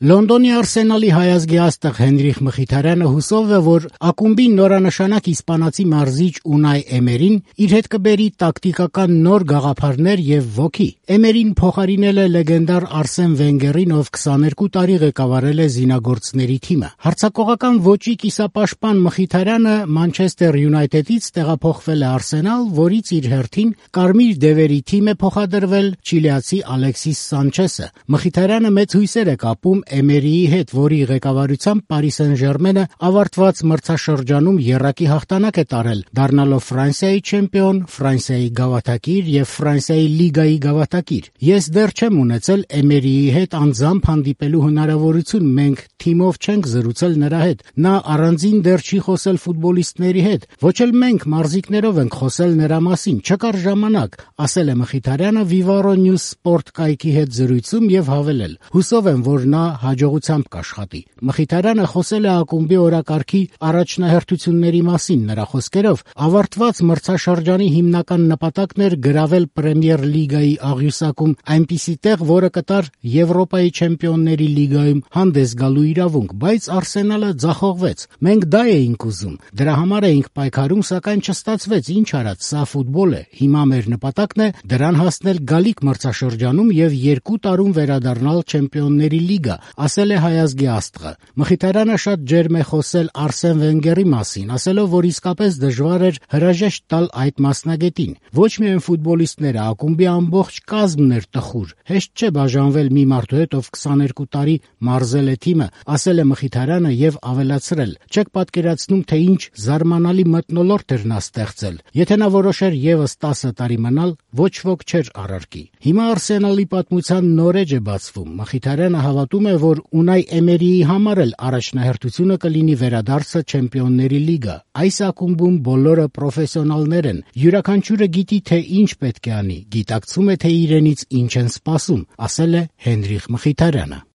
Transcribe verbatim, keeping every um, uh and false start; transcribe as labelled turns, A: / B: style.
A: Լոնդոնի Արսենալի հայազգի աստղ Հենրիխ Մխիթարյանը հուսով է, որ ակումբին նորանշանակ իսպանացի մարզիչ Ունայ Էմերին իր հետ կբերի տակտիկական նոր գաղափարներ եւ ոգի։ Էմերին փոխարինել է լեգենդար Արսեն Վենգերին, ով քսաներկու տարի ղեկավարել է զինագործների թիմը։ Հարձակողական ոճի կիսապաշտպան Մխիթարյանը Մանչեսթեր Յունայթեդից տեղափոխվել է Արսենալ, որից իր հերթին կարմիր դևերի թիմ է փոխադրվել չիլիացի Ալեքսիս Սանչեսը։ Մխիթարյանը մեծ հույսեր է կապում Էմերիի հետ, որի ղեկավարությամբ Պարի Սեն-Ժերմենը ավարտված մրցաշրջանում եռակի հաղթանակ է տարել, դառնալով Ֆրանսիայի չեմպիոն, Ֆրանսիայի գավաթակիր եւ Ֆրանսիայի լիգայի գավաթակիր։ Ես դեռ չեմ ունեցել Էմերիի հետ անձամբ հանդիպելու հնարավորություն, մենք թիմով չենք զրուցել նրա հետ, նա առանձին դեռ չի խոսել ֆուտբոլիստների հետ, ոչ էլ մենք մարզիկներով ենք խոսել նրա մասին, չկար ժամանակ, ասել է Մխիթարյանը Vivarro News Sport կայքի հետ զրույցում եւ հավելել. Հուսով եմ, որ նա հաջողությամբ կաշխատի։ Մխիթարյանը խոսել է ակումբի օրակարգի առաջնահերթությունների մասին, նրա խոսքերով ավարտված մրցաշրջանի հիմնական նպատակն էր գրավել Պրեմիեր լիգայի աղյուսակում այնպիսի տեղ, որը կտար Եվրոպայի չեմպիոնների լիգայում հանդես գալու իրավունք, բայց Արսենալը ձախողվեց։ Մենք դա էինք ուզում, դրա համար էինք պայքարում, սակայն չստացվեց, ինչ արած, սա ֆուտբոլ է։ Հիմա մեր նպատակն է դրան հասնել գալիք մրցաշրջանում եւ երկու տարում վերադառնալ Չեմպիոնների լիգա, ասել է հայազգի աստղը։ Մխիթարյանը շատ ջերմ է խոսել Արսեն Վենգերի մասին, ասելով, որ իսկապես դժվար էր հրաժեշտ տալ այդ մասնագետին։ Ոչ միայն ֆուտբոլիստները, ակումբի ամբողջ կազմն էր տխուր։ Հեշտ չէ բաժանվել մի մարդու հետ, ով քսաներկու տարի մարզել է թիմը, ասել է Մխիթարյանը եւ ավելացրել. Չեք պատկերացնում, թե ինչ զարմանալի մթնոլորտ էր նա ստեղծել։ Եթե նա որոշեր եւս տասը տարի մնալ, ոչ ոք չէր առարկի։ Հիմա Արսենալի պատմության նոր էջ է բացվում։ Մխիթարյանը հավատում է, որ Ունայ Էմերիի համար էլ առաջնահերթությունը կլինի վերադարձը Չեմպիոնների լիգա։ Այս ակումբում բոլորը պրոֆեսիոնալներ են։ Յուրաքանչյուրը գիտի, թե ինչ պետք է անի, գիտակցում է, թե իրենից ինչ են սպասում, ասել է Հենրիխ Մխիթարյանը։